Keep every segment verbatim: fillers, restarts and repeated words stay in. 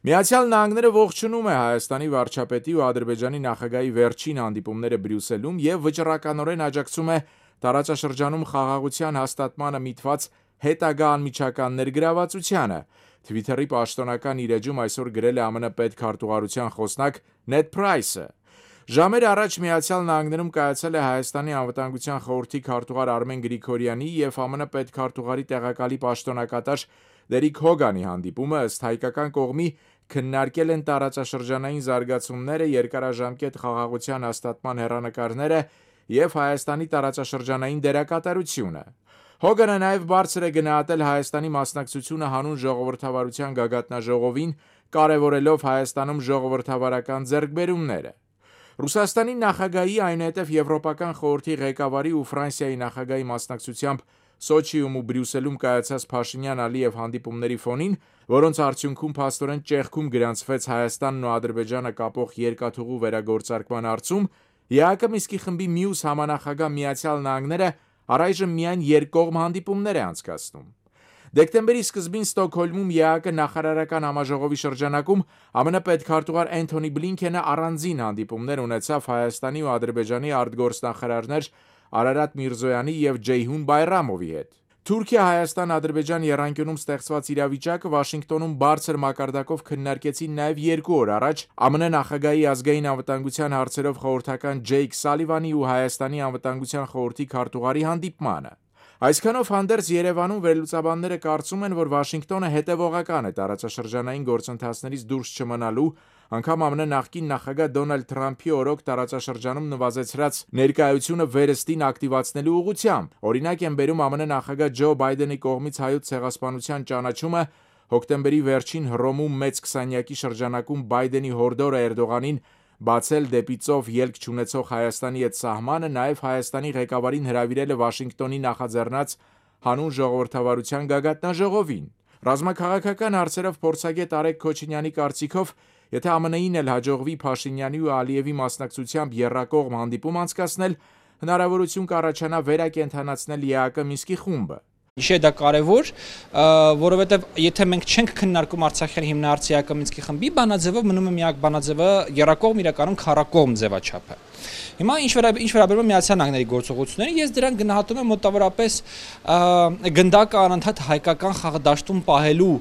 Միացյալ Նահանգները ողջունում է Հայաստանի վարչապետի ու Ադրբեջանի նախագահի վերջին հանդիպումները Բրյուսելում եւ վճռականորեն աջակցում է տարածաշրջանում խաղաղության հաստատմանը միտված հետագա անմիջական ներգրավվածությանը, Twitter-ի պաշտոնական իր էջում այսօր գրել է ԱՄՆ պետքարտուղարության խոսնակ Նեդ Պրայսը։ Ժամեր առաջ Միացյալ Նահանգներում կայացել է Հայաստանի անվտանգության խորհրդի քարտուղար Արմեն Գրիգորյանի եւ ԱՄՆ պետքարտուղարի տեղակալի պաշտոնակատար Դերիկ Հոգանի հանդիպումը, ըստ հայկական կողմի քննարկել են տարածաշրջանային զարգացումները, երկարաժամկետ խաղաղության հաստատման հեռանկարները եւ Հայաստանի տարածաշրջանային դերակատարությունը։ Հոգանը նաեւ բարձր է գնահատել Հայաստանի մասնակցությունը հանուն ժողովրդավարության գագաթնաժողովին, կարևորելով Հայաստանում ժողովրդավարական ձեռքբերումները։ Ռուսաստանի նախագահի, այնուհետև Եվրոպական խորհրդի ղեկավարի ու Ֆրանսիայի նախագահի մասնակցությամբ Սոչիում ու Բրյուսելում կայացած Փաշինյան-Ալիև հանդիպումների ֆոնին, որոնց արդյունքում փաստորեն ճեղքում գրանցվեց Հայաստանն ու Ադրբեջանը կապող երկաթուղու վերագործարկման հարցում, ԵԱՀԿ Մինսկի խմբի մյուս համանախագահ Միացյալ Նահանգները առայժմ միայն երկկողմ հանդիպումներ է անցկացնում։ Դեկտեմբերի սկզբին Ստոկհոլմում ԵԱՀԿ նախարարական համաժողովի շրջանակում ԱՄՆ պետքարտուղար Էնթոնի Բլինքենը առանձին հանդիպումներ ունեցավ Հայաստանի ու Ադրբեջանի արտգործնախարարներ Արարատ Միրզոյանի եւ Ջեյհուն Բայրամովի հետ։ Թուրքիա-Հայաստան-Ադրբեջան եռանկյունում ստեղծված իրավիճակը Վաշինգտոնում բարձր մակարդակով քննարկեցին նաև երկու օր առաջ ԱՄՆ նախագահի ազգային անվտանգության հարցերով խորհրդական Ջեյք Սալիվանի ու Հայաստանի անվտանգության խորհրդի քարտուղարի հանդիպմանը։ Այսքանով հանդերձ Երևանում վերլուծաբանները կարծում են, որ Վաշինգտոնը հետևողական է տարածաշրջանային գործընթացներից դուրս չմնալու, անգամ ԱՄՆ նախկին նախագահ Դոնալդ Թրամփի օրոք տարածաշրջանում նվազեցրած ներկայությունը վերստին ակտիվացնելու ուղղությամբ։ Օրինակ են բերում ԱՄՆ նախագահ Ջո Բայդենի կողմից հայոց ցեղասպանության ճանաչումը, հոկտեմբերի վերջին Հռոմում մեծ քսանյակի շրջանակում Բայդենի հորդորը Էրդողանին բացել դեպի ծով ելք չունեցող Հայաստանի հետ սահմանը, նաև Հայաստանի ղեկավարին հրավիրել է Վաշինգտոնի նախաձեռնած հանուն ժողովրդավարության գագաթնաժողովին։ Ռազմաքաղաքական հարցերով փորձագետ Արեգ Քոչինյանի կարծիքով, եթե ԱՄՆ-ին էլ հաջողվի Փաշինյանի ու Ալիևի մասնակցությամբ եռակողմ հանդիպում անցկացնել, հնարավորություն կառաջանա վերակենդանացնել ԵԱՀԿ Մինսկի խումբը։ Իշե դա կարևոր, որովհետև եթե մենք չենք քննարկում Արցախյան հիմնարարցի ԵԱՀԿ Մինսկի խմբի բանաձևով, մնում է միակ բանաձևը եռակողմ իրականում քառակողմ ձևաչափը։ Հիմա ինչ վերաբերում է Միացյալ Նահանգների գործողություններին, ես դրան գնահատում եմ մոտավորապես գնդակը անընդհատ հայկական խաղադաշտում պահելու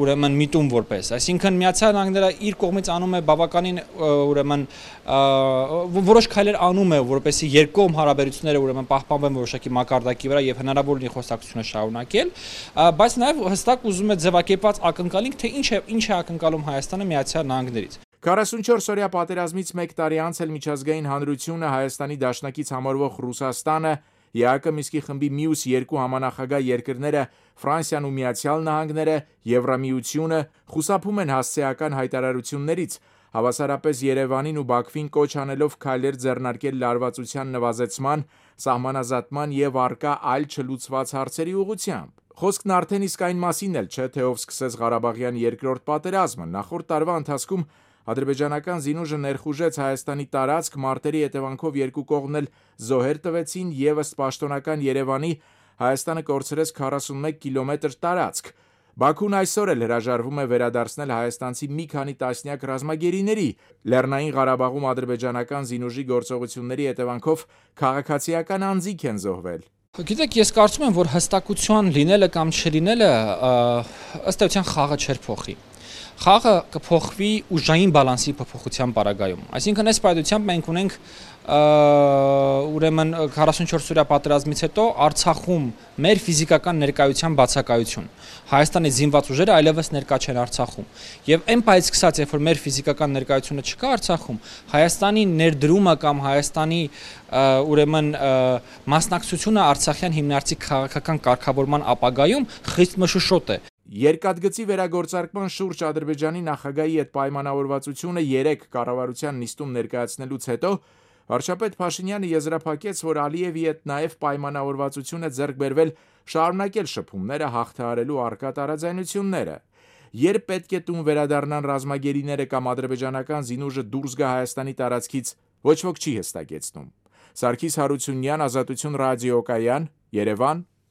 ուրեմն միտում որպես, այսինքն Միացյալ Նահանգները իր կողմից անում է բավականին ուրեմն որոշ քայլեր անում է, որպեսզի երկկողմ հարաբերությունները ուրեմն պահպանվեն որոշակի մակարդակի վրա եւ հնարավոր լինի խոսակցությունը շարունակել, բայց նաեւ հստակ ուզում է ձևակերպված ակնկալենք, թե ինչ է ինչ է ակնկալում Հայաստանը Միացյալ Նահանգներից։ քառասունչորս-օրյա պատերազմից մեկ տարի անց էլ միջազգային հանրությունը Հայաստանի դաշնակից համարվող Ռուսաստանը, ԵԱՀԿ Մինսկի խմբի մյուս երկու համանախագահ երկրները Ֆրանսիան ու Միացյալ Նահանգները, Եվրամիությունը խուսափում են հասցեական հայտարարություններից, հավասարապես Երևանին ու Բաքվին կոչ անելով քայլեր ձեռնարկել լարվածության նվազեցման, սահմանազատման եւ առկա այլ չլուծված հարցերի ուղղությամբ։ Խոսքն արդեն իսկ այն մասին էլ չէ, թե ով սկսեց Ղարաբաղյան երկրորդ պատերազմը։ Նախորդ տարվա ընթացքում ադրբեջանական զինուժը ներխուժեց Հայաստանի տարածք, մարտերի հետևանքով երկու կողմն էլ զոհեր տվեցին եւ ըստ պաշտոնական Երևանի Հայաստանը կորցրեց քառասունմեկ կիլոմետր տարածք։ Բաքուն այսօր էլ հրաժարվում է վերադարձնել հայաստանցի մի քանի տասնյակ ռազմագերիների։ Լեռնային Ղարաբաղում ադրբեջանական զինուժի գործողությունների հետևանքով քաղաքացիական անձինք են զոհվել։ Գիտեք, ես կարծում եմ, որ հստակություն լինելը կամ չլինելը ըստ էության խաղը չէր փոխի։ Խաղը կփոխվի ուժային բալանսի փոփոխության պարագայում։ Այսինքն այս պայմանությամբ մենք ունենք ուրեմն քառասունչորս-օրյա պատերազմից հետո Արցախում մեր ֆիզիկական ներկայության բացակայություն։ Հայաստանի զինված ուժերը այլևս ներկա չեն Արցախում։ Եվ այն պայից սկսած, երբ որ մեր ֆիզիկական ներկայությունը չկա Արցախում, Հայաստանի ներդրումը կամ Հայաստանի ուրեմն մասնակցությունը Արցախյան հիմնարարցի քաղաքական կարգավորման ապագայում խիստ մշուշոտ է։ Երկաթգծի վերագործարկման շուրջ Ադրբեջանի նախագահի հետ պայմանավորվածությունը երեք կառավարության նիստում ներկայացնելուց հետո վարչապետ Փաշինյանը եզրափակեց, որ Ալիևի հետ նաև պայմանավորվածություն է ձեռք բերվել շարունակել շփումները հաղթահարելու առկա տարաձայնությունները։ Երբ պետք է տուն վերադառնան ռազմագերիները կամ ադրբեջանական զինուժը դուրս գա Հայաստանի տարածքից, ոչ ոք չի հստակեցնում։ Սարգիս Հարությունյան, Ազատություն ռադիոկայան, Երևան։